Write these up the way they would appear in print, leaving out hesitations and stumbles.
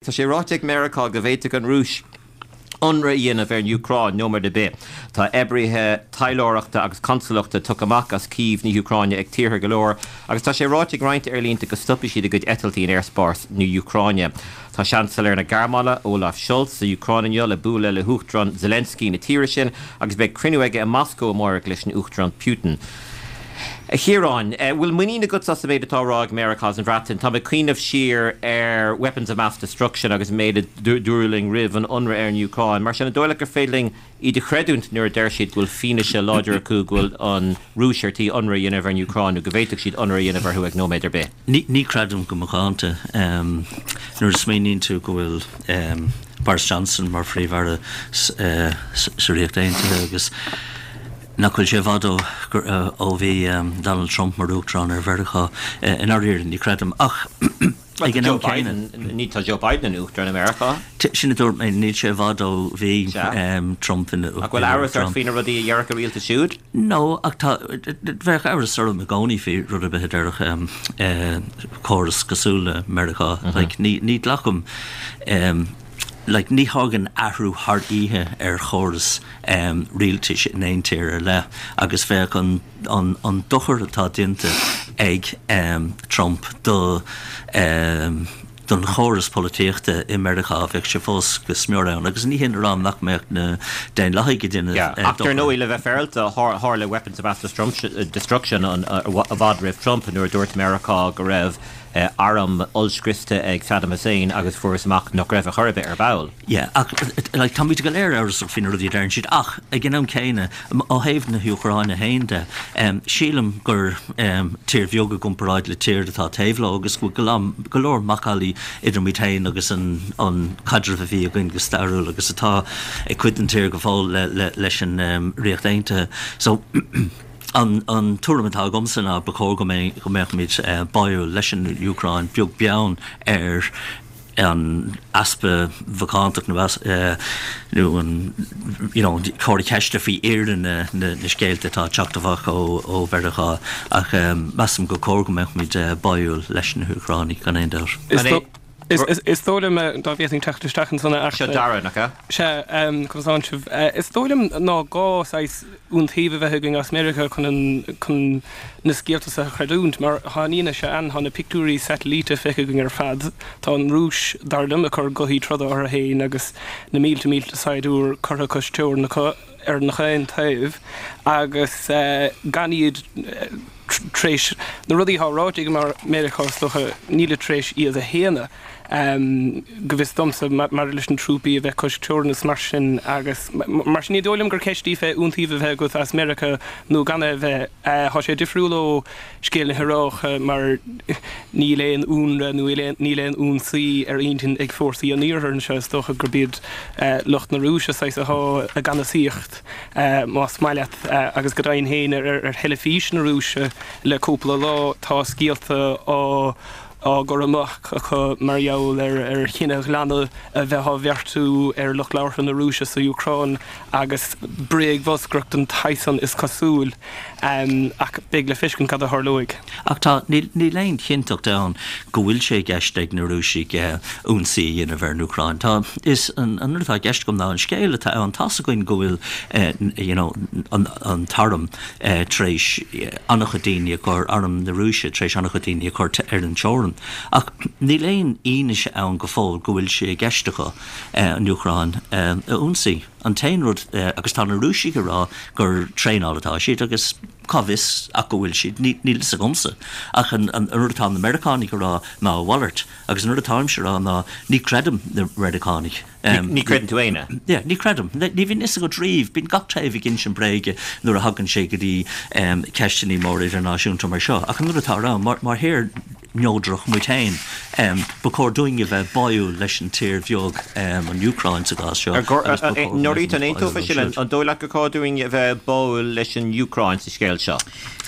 Tá sé ráite ag Meiriceá go bhféadfadh an Rúis ionradh a dhéanamh ar an Úcráin nóiméad ar bith. Tá oibrithe taidhleoireachta agus consalachta tugtha amach as Cív na hÚcráine ag tíortha go leor agus tá sé ráite ag roinnt aerlínte go stopfaidh siad a gcuid eitiltí in aerspás na Úcráine. Tá Seansailéir na Gearmáine, Olaf Scholz, sa Úcráin inniu le bualadh le hUachtarán Zelensky na tíre sin agus beidh cruinniú aige i Moscó amárach leis an Uachtarán Putin. A Chiaráin, bhfuil muinín agatsa as an méid atá á rá ag Meiriceá agus an Bhreatain? Táim ag cuimhneamh siar ar weapons of mass destruction agus an méid a dúradh linn roimh an ionradh ar an Úcráin. Mar sin, an dóigh leat gur féidir linn iad a chreidiúint nuair a deir siad go bhfuil fianaise láidir acu go bhfuil an Rúis ar tí ionradh a dhéanamh ar an Úcráin nó go bhféadfadh siad ionradh a dhéanamh orthu ag nóiméad ar bith? Ní chreidim go macánta. Nuair a smaoiníonn tú go bhfuil Boris Johnson mar Phríomh-Aire sa Ríocht Aontaithe agus nach bhfuil sé i bhfad ó bhí Donald Trump mar Uachtarán ar Mheiriceá. I ndáiríre, ní chreidim. Ach ag an am céanna. Ní tá Joe Biden ina Uachtarán i Meiriceá. Sin a dúirt mé, níl sé i bhfad ó bhí Trump ina Uachtarán. Ach bhfuil amhras ort faoi na rudaí a déarfadh an rialtas siúd? No, ach tá, bheadh amhras orm i gcónaí faoi rud ar bith a déarfadh córas cosúil le Meiriceá. Like, ní ghlacaim. Like, ní thagann athrú thar oíche ar chóras rialtais in aon tír ar leith agus bheadh an, an, an dochar atá déanta ag Trump do, don chóras polaitíochta i Meiriceá, bheadh sé fós go smior ann. Agus ní hin a rá nach mbeadh na Daonlathaigh ag déanamh dochar. Ach dar ndóigh, le bheith féaráilte, tharla weapons of mass destruction i bhfad roimh Trump nuair a dúirt Meiriceá go raibh arm ollscriosta ag Saddam Hussein agus fuarthas amach nach raibh ar chor ar bith ar ball. Yeah, ach like táimid go léir amhrasach faoi na rudaí a deireann siad ach ag an am céanna, ó thaobh na hÚcráine féin de, sílim gur tír bheag i gcomparáid le tír atá taobh leo agus go bhfuil go leor macallaí idir muid féin agus an caidreamh a bhí againn go stairiúil agus atá ag cuid den tír go fóill leis an Ríocht Aontaithe. So. An tuairim atá agamsa ná ba chóir go mbeadh muid báúil leis an Úcráin, beag beann ar an easpa mhacántacht nó nó an you know comhartha ceiste faoi fhírinne na scéalta atá ag teacht amach ó Mheiriceá. Ach measaim gur cóir go mbeadh muid báúil leis na hÚcránaigh gan aon dabht. Is dóigh liom, dá bhféadfainn teacht isteach ansan, a Seo Dara, nach ea? Sea, conas atánn sibh? Is dóigh liom ná gá saghas iontaoibh a bheith againn as Meiriceá chun an, chun na scéalta seo a chreidiúint, mar tá an fhianaise ann, tá na pictiúirí satailíte feicthe againn ar fad, tá an Rúis, dar liom, ag cur gothaí troda orthu féin agus na mílte mílte saighdiúir curtha cois teorann acu ar nach aon taobh agus gan iad tar éis na rudaí atá ráite ag Meiriceá is dócha, nílid tar éis iad a shéanadh, go bhfios domsa, maidir leis na trúpaí a bheith cois teorann is mar sin agus mar sin ní dóigh liom gur ceist í fé iontaoibh a bheith agat as Meiriceá nó gan é a bheith. Tá sé difriúil ó scéal na hIaráice mar níl aon ionradh nó níl aon ionsaí ar intinn ag fórsaí an Iarthair anseo, is dócha gurb iad lucht na Rúise saghas atá i gceannasaíocht. más maith leat, agus go deimhin féin ar theilifís na Rúise le cúpla lá tá scéalta á gcur amach acu mar gheall ar chinedhíothú a bheith á bheartú ar lucht labhartha na Rúise sa Úcráin agus bréagbholscaireacht den tsaghas san is cosúil. Ach beidh le feiscint cad a tharlóidh. Ach tá, níl aon chinnteacht ann go bhfuil sé i gceist ag na Rúisigh ionsaí a dhéanamh ar an Úcráin. Tá, is an rud atá i gceist agam ná an scéal atá ann, tá's againn go bhfuil you know an t-arm tar éis an-chuid daoine a chur, arm na Rúise tar éis an-chuid daoine a chur ar an teorainn. Ach níl aon fhianaise ann go fóill go bhfuil sé i gceist acu an Úcráin a ionsaí. An t-aon rud, agus tá na Rúisigh ag rá gur traenáil atá siad agus cá bhfios ach go bhfuil siad, níl fhios agamsa. Ach an rud atá na Meiriceánaigh ag rá ná a mhalairt. Agus an rud atáimse ag rá ná ní chreidim na Meiriceánaigh. Ní chreideann tú éinne? Yeah, ní chreidim. Ní bhíonn fhios agat riamh. Bíonn gach taobh ag insint bréige nuair a thagann sé go dtí ceisteanna móra idirnáisiúnta mar seo. Ach an rud atá ann, mar thír neodrach muid féin. Ba chóir dúinn a bheith báúil leis an tír bheag, an Úcráin sa gcás seo, agus ba chóir go mbeadh muid báúil leo siúd. Norita, an aontófá sin? An dóigh leat gur chóir dúinn a bheith báúil leis an Úcráin sa scéal seo?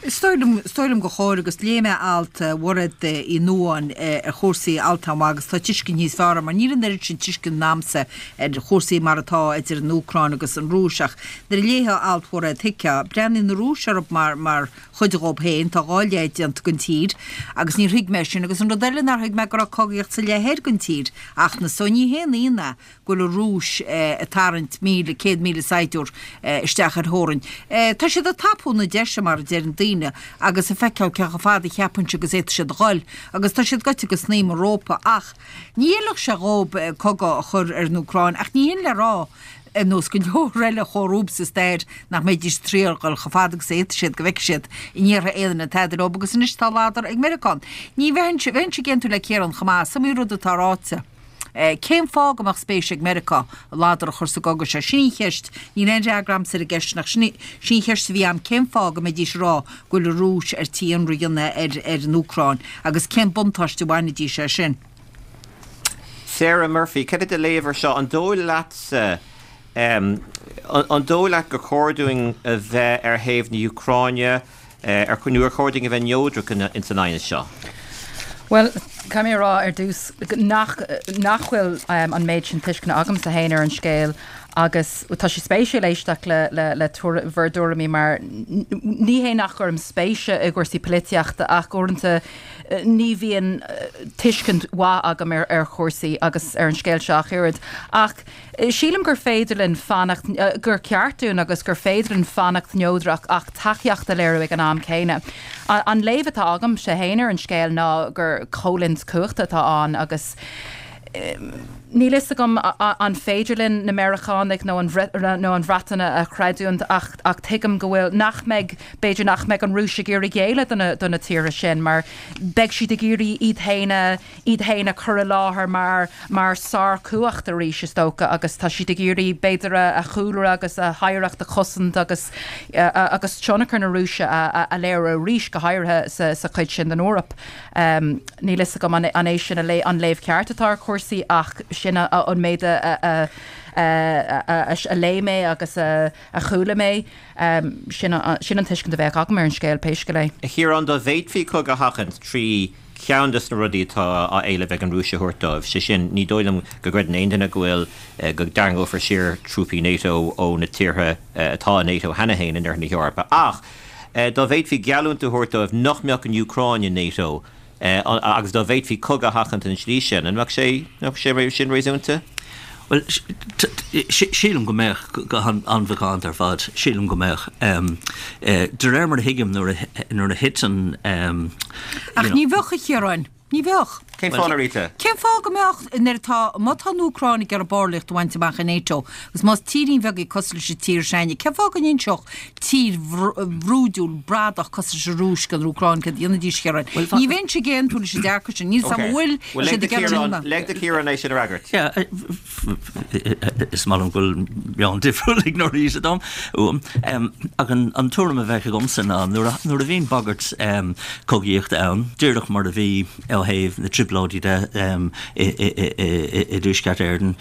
Is dóigh liom, is dóigh liom gur chóir agus léigh mé alt Mhairéad Uí Nuadháin ar chúrsaí, alt an-mhaith agus tá tuiscint níos fearr agam mar níl an oiread sin tuiscint a'msa ar chúrsaí mar atá idir an Úcráin agus an Rúis ach nuair a léifeá alt Mhairéad thuigfeá, breathnaíonn na Rúis orthu mar, mar chuid dhób féin, tá dhá leith déanta den tír agus níor thuig mé sin agus an rud eile nár thuig mé go raibh cogaíocht sa leith thoir den tír ach na so ní haon ionadh é go bhfuil an Rúis ag tarraingt 1,000, 100,000 saighdiúir isteach ar theorainn. Tá siad ag tapú na deise, mar a deireann daoine, agus ag feiceáil cé chomh fada a cheapann siad agus a fhéadfaidh siad a dhul. Agus tá siad gaibhte go snaidhm an rópa. Ach ní fheilfeadh sé dhób cogadh a chur ar an Úcráin, ach ní hin le rá, ar nós go leor eile chomh sa stair, nach mbeidís ag triail dhul chomh fada agus a fhéadfaidh siad go bhfeicfidh siad an ndéarfaidh aon duine tada leob agus anois tá ladar ag Meiriceá. Ní bheinnse, bheinnse ag aontú le Ciarán chomh maith, is iomaí rud atá ráite. Cén fáth go mbeadh spéis ag Meiriceá ladar a chur sa gcogadh seo? Sin í an cheist. Níl aon fhreagra a'msa ar an gceist sin ach sin í an cheist a bhí a'm, cén fáth go mbeidís ag rá go bhfuil an Rúis ar tí ionradh a dhéanamh ar ar an Úcráin agus cén buntáiste a bhainfidís as sin? Sarah Murphy, cad é do léamh ar seo? An dóigh leatsa, an dóigh leat gur chóir dúinn a bheith ar thaobh na hÚcráine? Ar nó ar chóir dúinn a bheith neodrach ins an aighneas seo? Bhuel, caithfidh mé a rá ar dtús nach nach bhfuil an méid sin tuisceana agamsa féin ar an scéal agus tá sé spéisiúil éisteacht le le le bhur dtuairimí mar ní hé nach gcuirim spéis i gcúrsaí polaitíochta ach uaireanta ní bhíonn tuiscint mhaith agam ar ar chúrsaí agus ar an scéal seo ach oiread. Ach Sílim gur féidir linn fanacht, gur ceart dúinn agus gur féidir linn fanacht neodrach ach tacaíocht a léiriú ag an am céanna. An léamh atá agamsa féin ar an scéal ná gur coimhlint cumhachta atá ann agus níl fhios agam an féidir linn na Meiriceánaigh nó an nó an Bhreatain a chreidiúint ach ach tuigim go bhfuil, nach mbeidh, b'fhéidir nach mbeidh an Rúis ag iarraidh géilleadh do na do na tíortha sin mar beidh siad ag iarraidh iad féin a iad féin a chur i láthair mar mar sárchumhacht arís, is dócha, agus tá siad ag iarraidh, b'fhéidir, a chúlra agus a hoidhreacht a chosaint agus agus tionchar na Rúise a a léiriú arís, go háirithe sa sa chuid sin den Eoraip. Níl fhios agam an an é sin an léamh ceart atá ar chúrsaí ach sin an méid a a a a léigh mé agus a a chuala mé. Sin sin an tuiscint a bheadh agam ar an scéal, pé scéal é. A Chiaráin, dá bhféadfaí cogadh a sheachaint trí cheann de na rudaí atá á éileamh ag an Rúis a thabhairt dóibh, sé sin, ní dóigh liom go gcreideann aon duine go bhfuil, go dtarraingeofar siar trúpaí NATO ó na tíortha atá i NATO cheana féin in oirthear na hEorpa. Ach dá bhféadfaí geallúint a thabhairt dóibh nach mbeadh an Úcráin i NATO agus dá bhféadfaí cogadh a sheachaint an tslí sin, an mbeadh sé, an mbeadh sé sin réasúnta? Bhuel, sílim go mbeadh, go han-mhacánta ar fad, sílim go mbeadh. De réir mar a thuigim, nuair a thit an, Ach ní bheadh, a Chiaráin. Ní bheadh. Cén fáth, Norita? Cén fáth go mbeadh, nuair atá, má tá an Úcráin ag iarraidh ballraíocht a bhaint amach i NATO, agus más tírín bheag í cosúil leis an tír s'againne, cén fáth go n-inseodh tír bhrúidiúil, bradach cosúil leis an Rúis don Úcráin céard a dhéanfaidís, a Chiaráin? Ní bheinnse ag aontú leis an dearcadh sin. Níl 's a'm an bhfuil siad ag iarraidh. Lig do Chiarán é sin a fhreagairt. Yeah, is maith liom go bhfuil meon difriúil ag Norita dom, uaim. Ach an tuairim a bheadh agamsa ná nuair a bhíonn bagairt cogaíochta ann, díreach mar a bhí ó thaobh na dtrioblóidí de i dTuaisceart Éireann,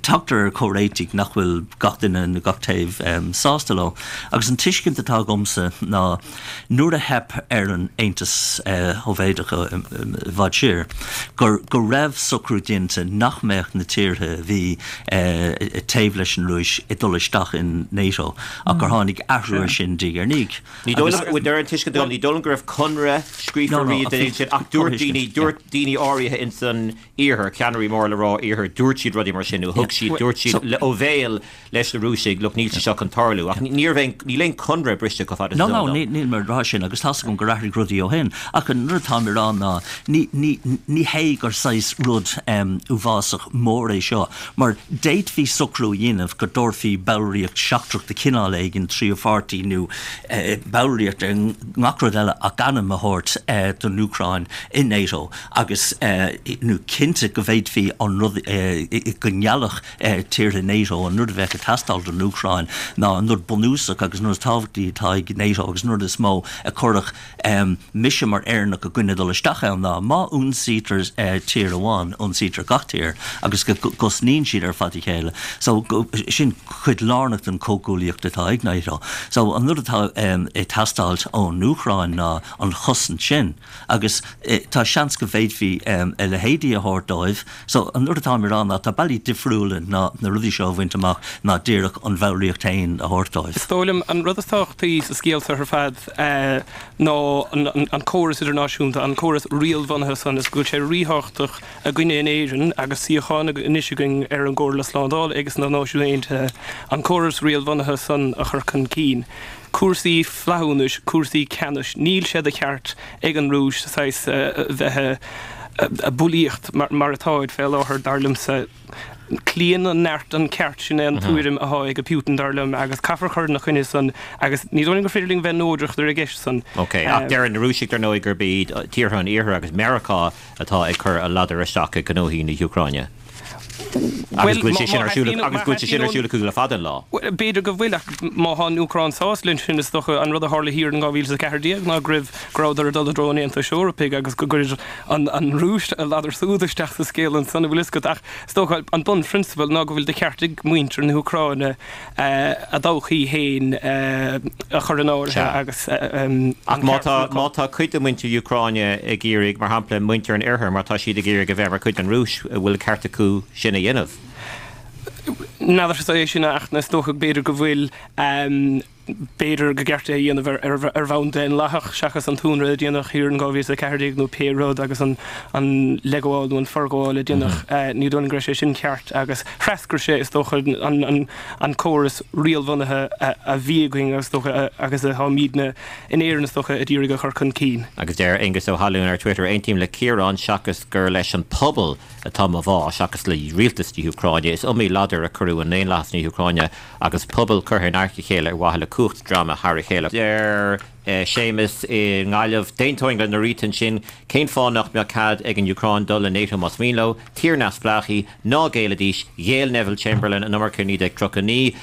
tagtar ar chomhréitigh nach bhfuil gach duine nó gach taobh sásta leo. Agus an tuiscint atá agamsa ná nuair a theip ar an Aontas Shóivéadach i bhfad siar, gur go raibh socrú déanta nach mbeadh na tíortha a bhí taobh leis an Rúis ag dul isteach in NATO ach gur tháinig athrú air sin diaidh ar ndiaidh. Ní dóigh liom, de réir an tuiscint agam, ní dóigh liom go raibh conradh scríofa riamh den sin ach dúirt daoine, dúirt daoine áirithe ins an Iarthar, ceannairí mór le rá Iarthair, dúirt siad rudaí mar sin nó thug siad, dúirt siad ó bhéal leis na Rúisigh, look, níl sé seo chun tarlú. Ach ní raibh aon, níl aon conradh briste chomh fada is is eol dom. No, no, níl mé ag rá sin agus tá's agam gur athraigh rudaí ó shin. Ach an rud atáim ag rá ná ní, ní, ní hé gur saghas rud uafásach mór é seo mar d'fhéadfaí socrú a dhéanamh go dtabharfaí ballraíocht seachtrach de chineál éigin tríú pháirtí nó ballraíocht ar ngach rud eile ach ainm a thabhairt don Úcráin i NATO. Agus. nó cinnte go bhféadfaí an rud, go ngeallfadh tíortha NATO an rud a bheadh ag teastáil don Úcráin ná an rud bunúsach agus an rud is tábhachtaí atá ag NATO agus an rud is mó a chuirfeadh mise mar Éireannach i gcoinne dul isteach ann ná má ionsaítear tír amháin, ionsaítear gach tír agus go gcosnaíonn siad ar fad a chéile. So sin cuid lárnach den chomhghuaillíocht atá ag NATO. So an rud atá ag teastáilt ón Úcráin ná an chosaint sin. Agus tá seans go bhféadfaí a leithéidí a thabhairt dóibh. So, an rud atáim a rá ná tá bealaí difriúla ná na rudaí seo a bhaint amach ná díreach an bhallraíocht féin a thabhairt dóibh. Is dóigh liom an rud is tábhachtaí sa scéal seo ar fad ná an córas idirnáisiúnta, an córas riailbhunaithe san, is go bhfuil sé ríthábhachtach againne in Éirinn agus suíochán anois againn ar an gComhairle Slándála agus na Náisiúin Aontaithe, an córas riailbhunaithe san a chur chun cinn. Cúrsaí flaithiúnais, cúrsaí ceannais, níl sé de cheart ag an Rúis saghas bheith ag bulaíocht mar atáid fé láthair, dar liomsa. Cloíonn an neart an ceart, sin é an tuairim athá ag Putin, dar liom, agus caithfear cur ina choinne san agus ní dóigh liom gur féidir linn bheith neodrach ar an gceist san. Ok, ach deireann na Rúisigh, dar ndóigh, gurb iad tíortha an Iarthair agus Meiriceá atá ag cur a ladar isteach i ngnóthaí na hÚcráine. Agus go bhfuil sé sin ar siúl agus go bhfuil sé sin ar siúl acu le fada an lá. Bhuel, b'fhéidir go bhfuil, ach má thá an Úcráin sásta leis sin, is dócha an rud a tharla thiar in 2014 ná go raibh, go rabhadar ag dul i dtreo an Aontais Eorpaigh agus go gcuir an an Rúis a ladar súd isteach sa scéal ansan, an bhfuil fhios agat. Ach is dócha an bunphrionsabal ná go bhfuil de cheart ag muintir na hÚcráine a dtodhchaí féin a chur in áirithe agus an Ach má tá, má tá cuid de mhuintir Úcráine ag iarraidh, mar shampla, muintir an oirthir, má tá siad ag iarraidh a bheith mar chuid den Rúis, an bhfuil ceart acu sin a dhéanamh? N'fheadar é sin ach is dócha b'fhéidir go bhfuil. B'fhéidir gur ceart é a dhéanamh ar bhonn daonlathach seachas an t-ionradh a déanadh thiar in 2014 nó pé rud agus an leithghabháil nó an forghabháil a déanadh. Ní dóigh liom go raibh sé sin ceart agus threascair sé, is dócha, an córas riailbhunaithe a bhí againn agus is dócha agus atáimidne in Éirinn is dócha ag iarraidh a chur chun cinn. Agus deir Aengus Ó hAlúin ar Twitter, Aontaím le Ciarán seachas gur leis an pobal atá mo bhá seachas le rialtas na hÚcráine. Is iomaí ladar a cuireadh i ndaonlathas na hÚcráine agus pobal curtha in adharca a chéile ar mhaithe le cumhacht dreama thar a chéile. Deir Séamus i nGaillimh, D'aontóinn le Norita ansin, cén fáth nach mbeadh cead ag an Úcráin dul le NATO más mian leo? Tír neamhspleách í, ná géillidís, ghéill Neville Chamberlain an iomarca i 1939.